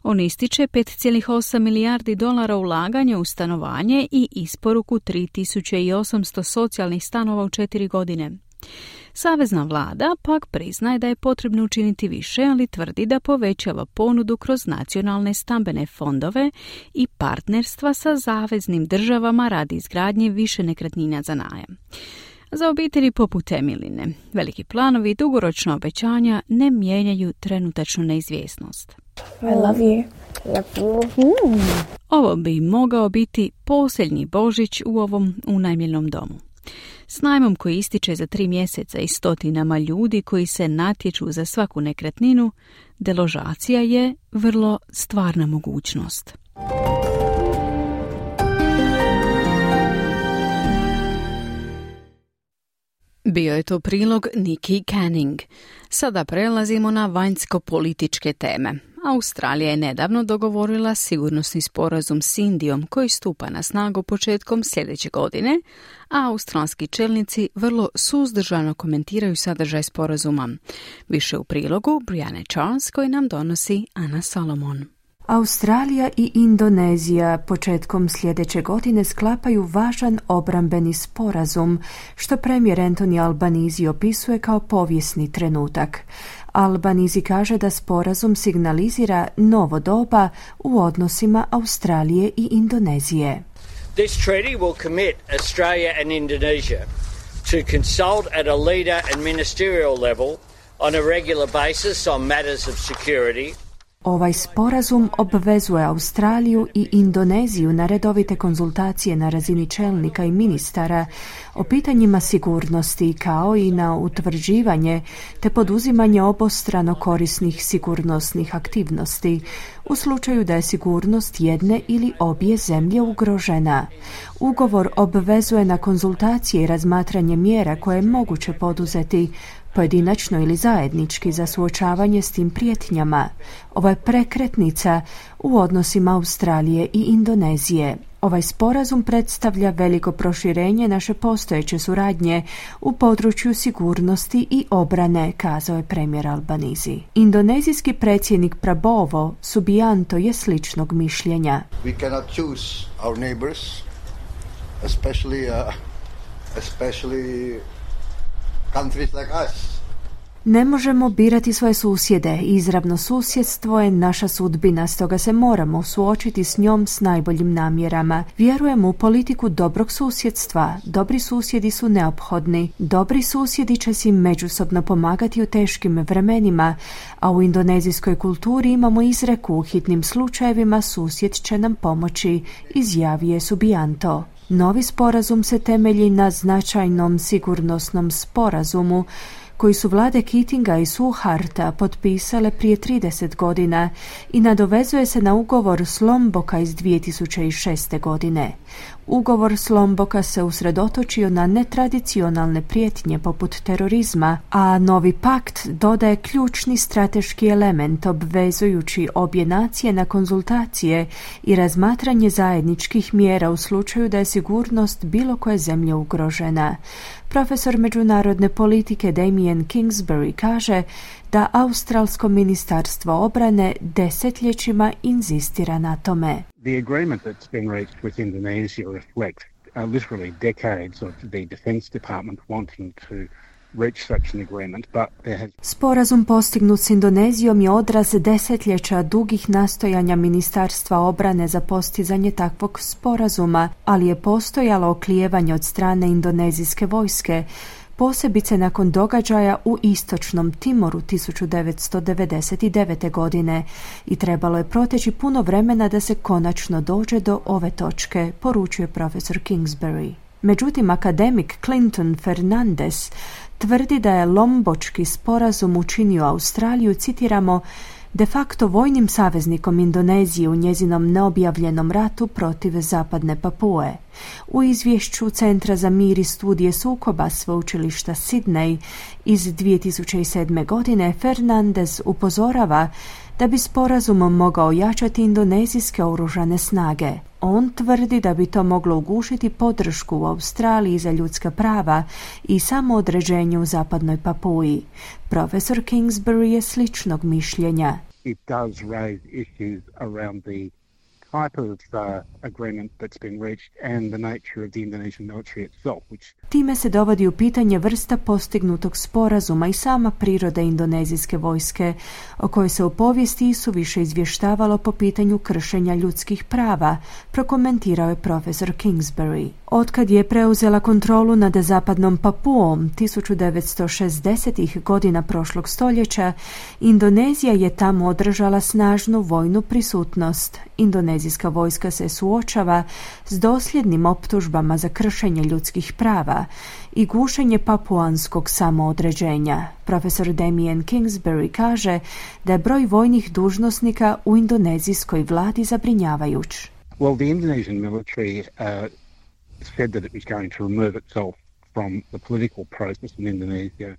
On ističe $5,8 milijardi ulaganja u stanovanje i isporuku 3.800 socijalnih stanova u 4 godine. Savezna vlada pak priznaje da je potrebno učiniti više, ali tvrdi da povećava ponudu kroz nacionalne stambene fondove i partnerstva sa saveznim državama radi izgradnje više nekretnina za najam. Za obitelji poput Emiline, veliki planovi i dugoročna obećanja ne mijenjaju trenutačnu neizvjesnost. I love you. Love you. Ovo bi mogao biti posljednji Božić u ovom unajmljenom domu. S najmom koji ističe za 3 mjeseca i stotinama ljudi koji se natječu za svaku nekretninu, deložacija je vrlo stvarna mogućnost. Bio je to prilog Nikki Canning. Sada prelazimo na vanjsko-političke teme. Australija je nedavno dogovorila sigurnosni sporazum s Indijom koji stupa na snagu početkom sljedeće godine, a australski čelnici vrlo suzdržano komentiraju sadržaj sporazuma. Više u prilogu Brianne Charles koji nam donosi Ana Solomon. Australija i Indonezija početkom sljedeće godine sklapaju važan obrambeni sporazum, što premijer Anthony Albanese opisuje kao povijesni trenutak. Albanese kaže da sporazum signalizira novo doba u odnosima Australije i Indonezije. This treaty will commit Australia and Indonesia to consult at a leader and ministerial level on a regular basis on matters of security. Ovaj sporazum obvezuje Australiju i Indoneziju na redovite konzultacije na razini čelnika i ministara o pitanjima sigurnosti kao i na utvrđivanje te poduzimanje obostrano korisnih sigurnosnih aktivnosti u slučaju da je sigurnost jedne ili obje zemlje ugrožena. Ugovor obvezuje na konzultacije i razmatranje mjera koje je moguće poduzeti pojedinačno ili zajednički za suočavanje s tim prijetnjama. Ovo je prekretnica u odnosima Australije i Indonezije. Ovaj sporazum predstavlja veliko proširenje naše postojeće suradnje u području sigurnosti i obrane, kazao je premijer Albanese. Indonezijski predsjednik Prabowo Subianto je sličnog mišljenja. We cannot choose our neighbors, especially countries like us. Ne možemo birati svoje susjede. Izravno susjedstvo je naša sudbina, stoga se moramo suočiti s njom s najboljim namjerama. Vjerujemo u politiku dobrog susjedstva. Dobri susjedi su neophodni. Dobri susjedi će si međusobno pomagati u teškim vremenima, a u indonezijskoj kulturi imamo izreku u hitnim slučajevima susjed će nam pomoći, izjavio je Subianto. Novi sporazum se temelji na značajnom sigurnosnom sporazumu koji su vlade Keatinga i Suharta potpisale prije 30 godina i nadovezuje se na ugovor s Lomboka iz 2006. godine. Ugovor s Lomboka se usredotočio na netradicionalne prijetnje poput terorizma, a novi pakt dodaje ključni strateški element obvezujući obje nacije na konzultacije i razmatranje zajedničkih mjera u slučaju da je sigurnost bilo koje zemlje ugrožena. Profesor međunarodne politike Damien Kingsbury kaže da australsko ministarstvo obrane desetljećima inzistira na tome. The agreement that's been reached with Indonesia reflects literally decades of the Defence Department wanting to reach such an agreement, but there has... Sporazum postignut s Indonezijom je odraz desetljeća dugih nastojanja Ministarstva obrane za postizanje takvog sporazuma, ali je postojalo oklijevanje od strane indonezijske vojske, posebice nakon događaja u istočnom Timoru 1999. godine i trebalo je proteći puno vremena da se konačno dođe do ove točke, poručuje profesor Kingsbury. Međutim, akademik Clinton Fernandez tvrdi da je Lombočki sporazum učinio Australiju, citiramo, de facto vojnim saveznikom Indonezije u njezinom neobjavljenom ratu protiv zapadne Papue. U izvješću Centra za mir i studije sukoba sveučilišta Sydney iz 2007. godine Fernandez upozorava da bi sporazum mogao ojačati indonezijske oružane snage. On tvrdi da bi to moglo ugušiti podršku u Australiji za ljudska prava i samoodređenje u zapadnoj Papui. Profesor Kingsbury je sličnog mišljenja. It does raise issues around the type of agreement that's been reached and the nature of the Indonesian military itself, which... Time se dovodi u pitanje vrsta postignutog sporazuma i sama priroda indonezijske vojske, o kojoj se u povijesti isuviše izvještavalo po pitanju kršenja ljudskih prava, prokomentirao je profesor Kingsbury. Otkad je preuzela kontrolu nad zapadnom Papuom 1960. godina prošlog stoljeća, Indonezija je tamo održala snažnu vojnu prisutnost. Indonezijska vojska se suočava s dosljednim optužbama za kršenje ljudskih prava i gušenje papuanskog samoodređenja. Profesor Damien Kingsbury kaže da je broj vojnih dužnosnika u indonezijskoj vladi zabrinjavajuć. Well, the Indonesian military said that it was going to remove itself from the political process in Indonesia.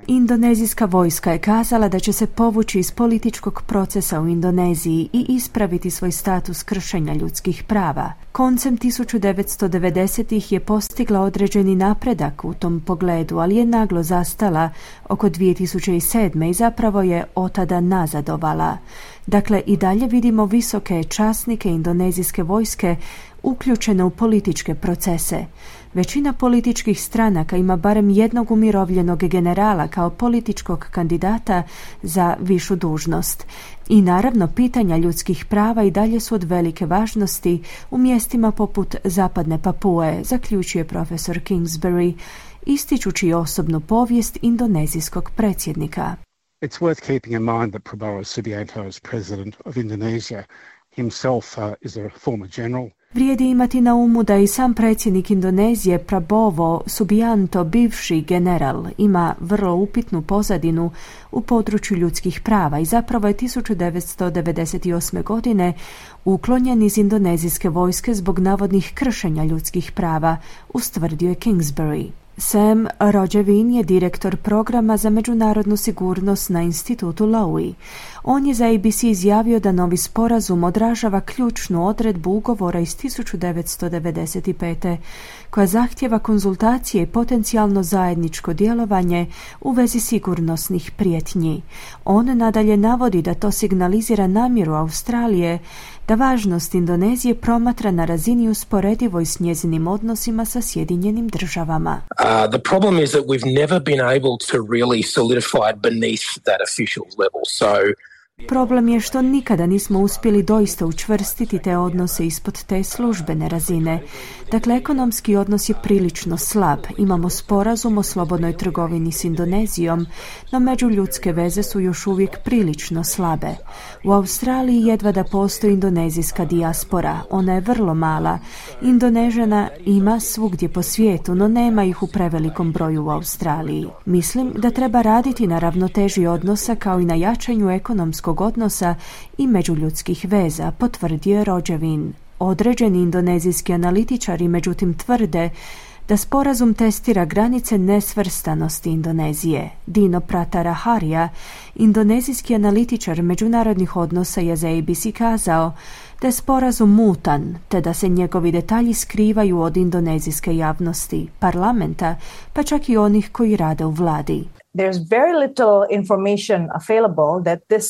Indonezijska vojska je kazala da će se povući iz političkog procesa u Indoneziji i ispraviti svoj status kršenja ljudskih prava. Koncem 1990-ih je postigla određeni napredak u tom pogledu, ali je naglo zastala oko 2007. i zapravo je otada nazadovala. Dakle, i dalje vidimo visoke časnike indonezijske vojske uključene u političke procese. Većina političkih stranaka ima barem jednog umirovljenog generala kao političkog kandidata za višu dužnost. I naravno, pitanja ljudskih prava i dalje su od velike važnosti u mjestima poput zapadne Papue, zaključuje profesor Kingsbury, ističući osobnu povijest indonezijskog predsjednika. It's worth keeping in mind that Prabowo Subianto is president of Indonesia. Himself is a former general. Vrijedi imati na umu da i sam predsjednik Indonezije Prabowo Subianto, bivši general, ima vrlo upitnu pozadinu u području ljudskih prava i zapravo je 1998. godine uklonjen iz indonezijske vojske zbog navodnih kršenja ljudskih prava, ustvrdio je Kingsbury. Sam Rođevin je direktor programa za međunarodnu sigurnost na institutu Lowy. On je za ABC izjavio da novi sporazum odražava ključnu odredbu ugovora iz 1995. koja zahtjeva konzultacije i potencijalno zajedničko djelovanje u vezi sigurnosnih prijetnji. On nadalje navodi da to signalizira namjeru Australije da važnost Indonezije promatra na razini usporedivoj s njezinim odnosima sa Sjedinjenim državama. The problem is that we've never been able to really solidify it beneath that official level. So problem je što nikada nismo uspjeli doista učvrstiti te odnose ispod te službene razine. Dakle, ekonomski odnos je prilično slab. Imamo sporazum o slobodnoj trgovini s Indonezijom, no međuljudske veze su još uvijek prilično slabe. U Australiji jedva da postoji indonezijska dijaspora. Ona je vrlo mala. Indonežana ima svugdje po svijetu, no nema ih u prevelikom broju u Australiji. Mislim da treba raditi na ravnoteži odnosa kao i na jačanju ekonomskog odnosa i međuljudskih veza, potvrdio je Rođevin. Određeni indonezijski analitičari međutim tvrde da sporazum testira granice nesvrstanosti Indonezije. Dino Prataraharija, indonezijski analitičar međunarodnih odnosa, je za ABC kazao da je sporazum mutan, te da se njegovi detalji skrivaju od indonezijske javnosti, parlamenta, pa čak i onih koji rade u vladi. there's very little information available that this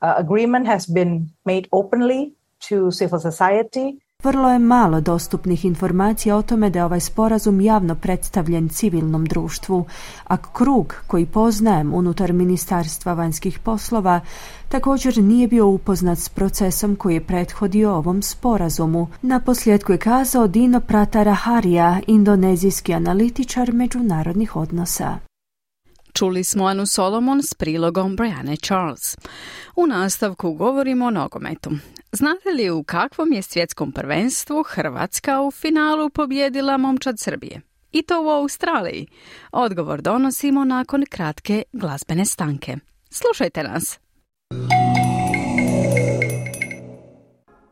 agreement has been made openly to civil society. Vrlo je malo dostupnih informacija o tome da je ovaj sporazum javno predstavljen civilnom društvu, a krug koji poznajem unutar Ministarstva vanjskih poslova također nije bio upoznat s procesom koji je prethodio ovom sporazumu. Naposljetku je kazao Dino Prataraharija, indonezijski analitičar međunarodnih odnosa. Čuli smo Anu Solomon s prilogom Brianne Charles. U nastavku govorimo o nogometu. Znate li u kakvom je svjetskom prvenstvu Hrvatska u finalu pobijedila momčad Srbije? I to u Australiji. Odgovor donosimo nakon kratke glazbene stanke. Slušajte nas.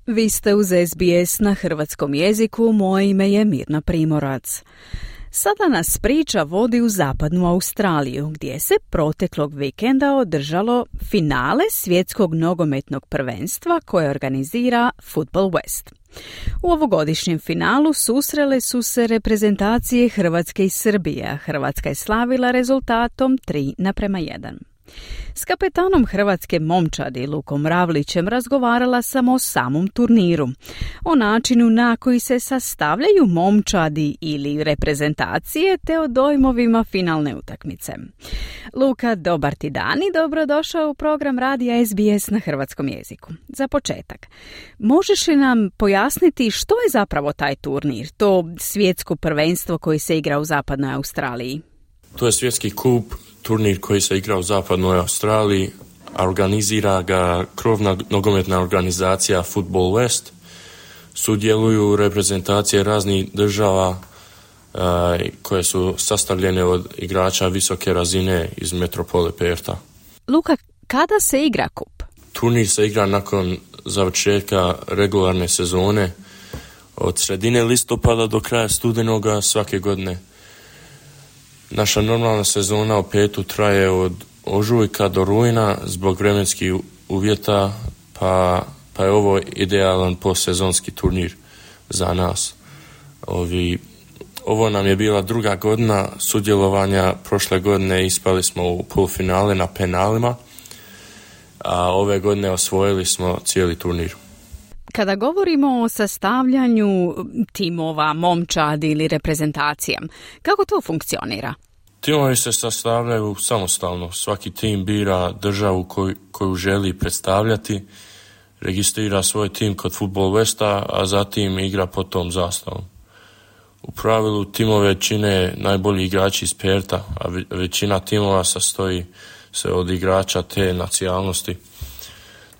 Vi ste uz SBS na hrvatskom jeziku, moje ime je Mirna Primorac. Sada nas priča vodi u zapadnu Australiju, gdje se proteklog vikenda održalo finale svjetskog nogometnog prvenstva koje organizira Football West. U ovogodišnjem finalu susrele su se reprezentacije Hrvatske i Srbije, a Hrvatska je slavila rezultatom 3:1. S kapetanom hrvatske momčadi Lukom Ravlićem razgovarala sam o samom turniru, o načinu na koji se sastavljaju momčadi ili reprezentacije te o dojmovima finalne utakmice. Luka, dobar ti dan i dobrodošao u program radija SBS na hrvatskom jeziku. Za početak, možeš li nam pojasniti što je zapravo taj turnir, to svjetsko prvenstvo koji se igra u zapadnoj Australiji? To je svjetski kup, turnir koji se igra u zapadnoj Australiji, a organizira ga krovna nogometna organizacija Football West. Sudjeluju reprezentacije raznih država koje su sastavljene od igrača visoke razine iz metropole Pertha. Luka, kada se igra kup? Turnir se igra nakon završetka regularne sezone od sredine listopada do kraja studenoga svake godine. Naša normalna sezona u Perthu traje od ožujka do rujna zbog vremenskih uvjeta, pa je ovo idealan postsezonski turnir za nas. Ovo nam je bila druga godina sudjelovanja. Prošle godine ispali smo u polufinale na penalima, a ove godine osvojili smo cijeli turnir. Kada govorimo o sastavljanju timova, momčadi ili reprezentacija, kako to funkcionira? Timovi se sastavljaju samostalno. Svaki tim bira državu koju želi predstavljati, registrira svoj tim kod Football Westa, a zatim igra pod tom zastavom. U pravilu timove čine najbolji igrači iz Pertha, a većina timova sastoji se od igrača te nacionalnosti.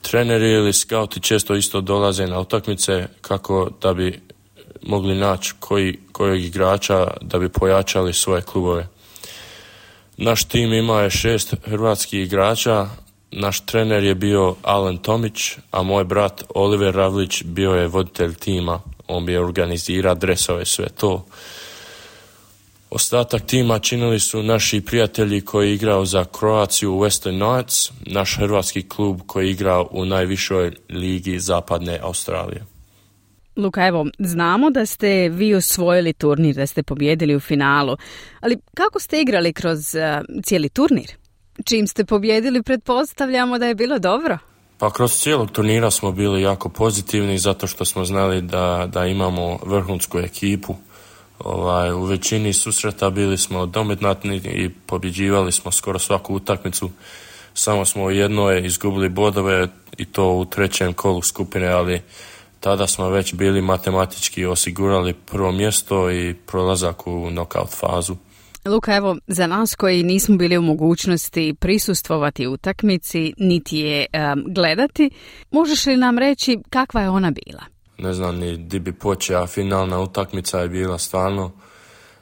Treneri ili skauti često isto dolaze na utakmice kako da bi mogli naći kojeg igrača da bi pojačali svoje klubove. Naš tim ima je 6 hrvatskih igrača, naš trener je bio Alen Tomić, a moj brat Oliver Ravlić bio je voditelj tima. On bi organizirao dresove, sve to. Ostatak tima činili su naši prijatelji koji igrao za Croaciju Western Knights, naš hrvatski klub koji igrao u najvišoj ligi zapadne Australije. Luka, evo, znamo da ste vi osvojili turnir, da ste pobijedili u finalu, ali kako ste igrali kroz cijeli turnir? Čim ste pobijedili, pretpostavljamo da je bilo dobro? Pa kroz cijelog turnira smo bili jako pozitivni zato što smo znali da imamo vrhunsku ekipu. U većini susreta bili smo dominantni i pobjeđivali smo skoro svaku utakmicu. Samo smo u jednoj izgubili bodove i to u 3. kolu skupine, ali tada smo već bili matematički osigurali prvo mjesto i prolazak u knockout fazu. Luka, evo, za nas koji nismo bili u mogućnosti prisustvovati utakmici, niti je gledati, možeš li nam reći kakva je ona bila? Ne znam ni di bi počeo, finalna utakmica je bila stvarno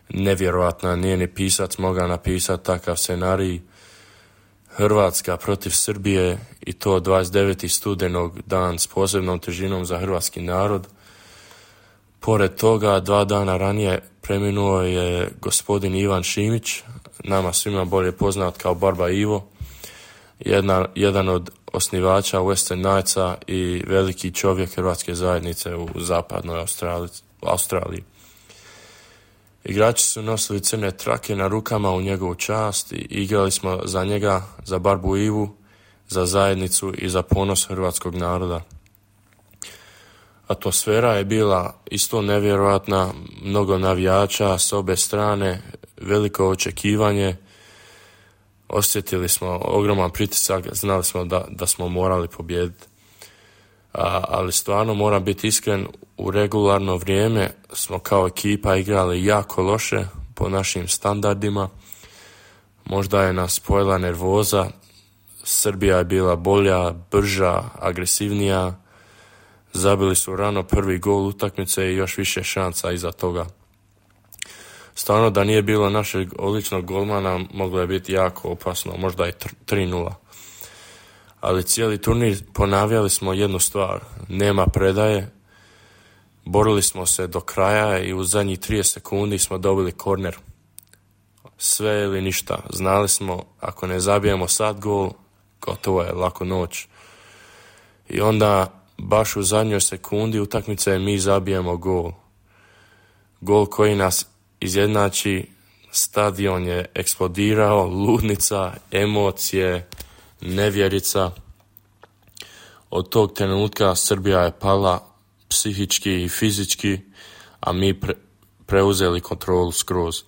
nevjerojatna, nije ni pisac mogao napisati takav scenarij. Hrvatska protiv Srbije i to 29. studenog, dan s posebnom težinom za hrvatski narod. Pored toga, 2 dana ranije preminuo je gospodin Ivan Šimić, nama svima bolje poznat kao Barba Ivo, jedan od osnivača Western Knightsa i veliki čovjek hrvatske zajednice u zapadnoj Australiji. Igrači su nosili crne trake na rukama u njegovu čast i igrali smo za njega, za Barbu Ivu, za zajednicu i za ponos hrvatskog naroda. Atmosfera je bila isto nevjerojatna, mnogo navijača s obe strane, veliko očekivanje. Osjetili smo ogroman pritisak, znali smo da smo morali pobijediti. Ali stvarno moram biti iskren, u regularno vrijeme smo kao ekipa igrali jako loše po našim standardima. Možda je nas pojela nervoza, Srbija je bila bolja, brža, agresivnija. Zabili su rano prvi gol utakmice i još više šansa iza toga. Stvarno da nije bilo našeg odličnog golmana moglo je biti jako opasno, možda i 3-0. Ali cijeli turnir ponavljali smo jednu stvar, nema predaje, borili smo se do kraja i u zadnjih 30 sekundi smo dobili korner. Sve ili ništa, znali smo ako ne zabijemo sad gol, gotovo je, lako noć. I onda baš u zadnjoj sekundi utakmice mi zabijemo gol. Gol koji nas izjednači, stadion je eksplodirao, ludnica, emocije, nevjerica. Od tog trenutka Srbija je pala psihički i fizički, a mi preuzeli kontrolu skroz.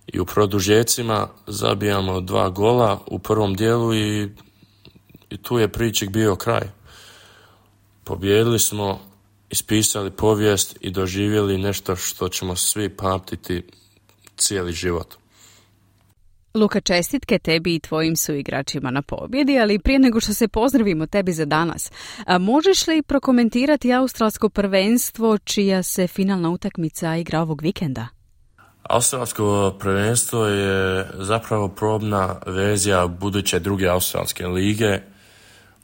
I u produžecima zabijamo 2 gola u prvom dijelu i tu je pričik bio kraj. Pobjedili smo, ispisali povijest i doživjeli nešto što ćemo svi pamtiti cijeli život. Luka, čestitke tebi i tvojim suigračima na pobjedi, ali prije nego što se pozdravimo tebi za danas, možeš li prokomentirati australsko prvenstvo čija se finalna utakmica igra ovog vikenda? Australsko prvenstvo je zapravo probna verzija buduće druge australske lige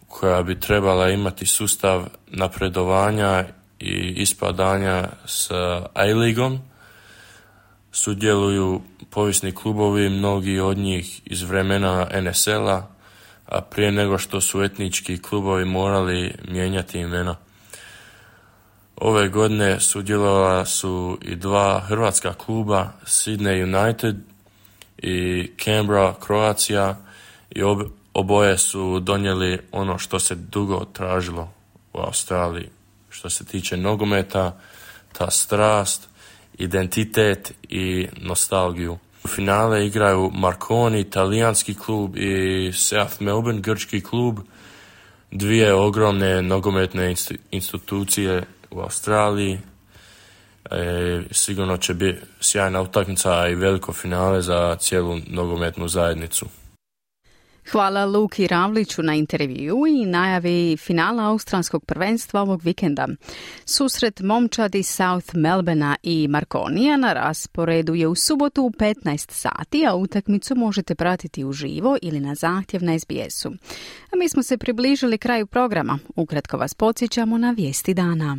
koja bi trebala imati sustav napredovanja i ispadanja s A-ligom. Sudjeluju povijesni klubovi, mnogi od njih iz vremena NSL-a, a prije nego što su etnički klubovi morali mijenjati imena. Ove godine sudjelovala su i 2 hrvatska kluba, Sydney United i Canberra Croatia, i oboje su donijeli ono što se dugo tražilo u Australiji. Što se tiče nogometa, ta strast, identitet i nostalgiju. U finale igraju Marconi, italijanski klub, i South Melbourne, grčki klub, 2 ogromne nogometne institucije u Australiji. Sigurno će biti sjajna utakmica i veliko finale za cijelu nogometnu zajednicu. Hvala Luki Ravliću na intervju i najavi finala australskog prvenstva ovog vikenda. Susret momčadi South Melbournea i Marconija na rasporedu je u subotu u 15 sati, a utakmicu možete pratiti uživo ili na zahtjev na SBS-u. A mi smo se približili kraju programa. Ukratko vas podsjećamo na vijesti dana.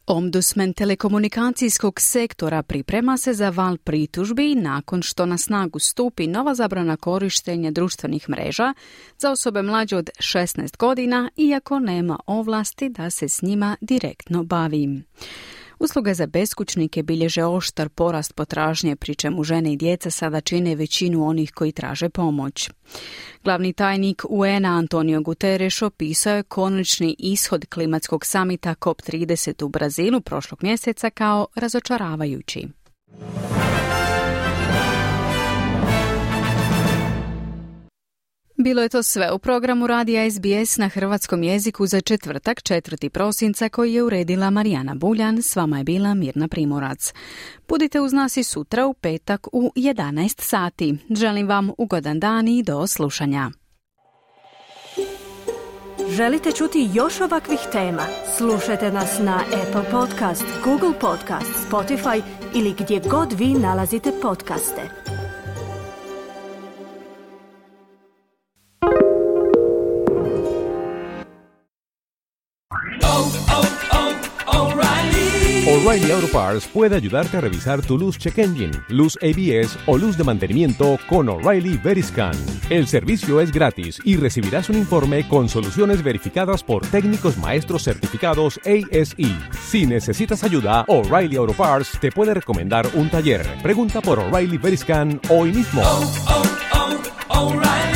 Ombudsman telekomunikacijskog sektora priprema se za val pritužbi nakon što na snagu stupi nova zabrana korištenja društvenih mreža za osobe mlađe od 16 godina, iako nema ovlasti da se s njima direktno bavi. Usluge za beskućnike bilježe oštar porast potražnje, pri čemu žene i djeca sada čine većinu onih koji traže pomoć. Glavni tajnik UN-a Antonio Guterres opisao je konačni ishod klimatskog samita COP30 u Brazilu prošlog mjeseca kao razočaravajući. Bilo je to sve u programu radija SBS na hrvatskom jeziku za četvrtak 4. prosinca koji je uredila Marijana Buljan. S vama je bila Mirna Primorac. Budite uz nas i sutra u petak u 11 sati. Želim vam ugodan dan i do slušanja. Želite čuti još ovakvih tema? Slušajte nas na Apple Podcast, Google Podcast, Spotify ili gdje god vi nalazite podcaste. O'Reilly Auto Parts puede ayudarte a revisar tu luz check engine, luz ABS o luz de mantenimiento con O'Reilly Veriscan. El servicio es gratis y recibirás un informe con soluciones verificadas por técnicos maestros certificados ASE. Si necesitas ayuda, O'Reilly Auto Parts te puede recomendar un taller. Pregunta por O'Reilly Veriscan hoy mismo. O'Reilly.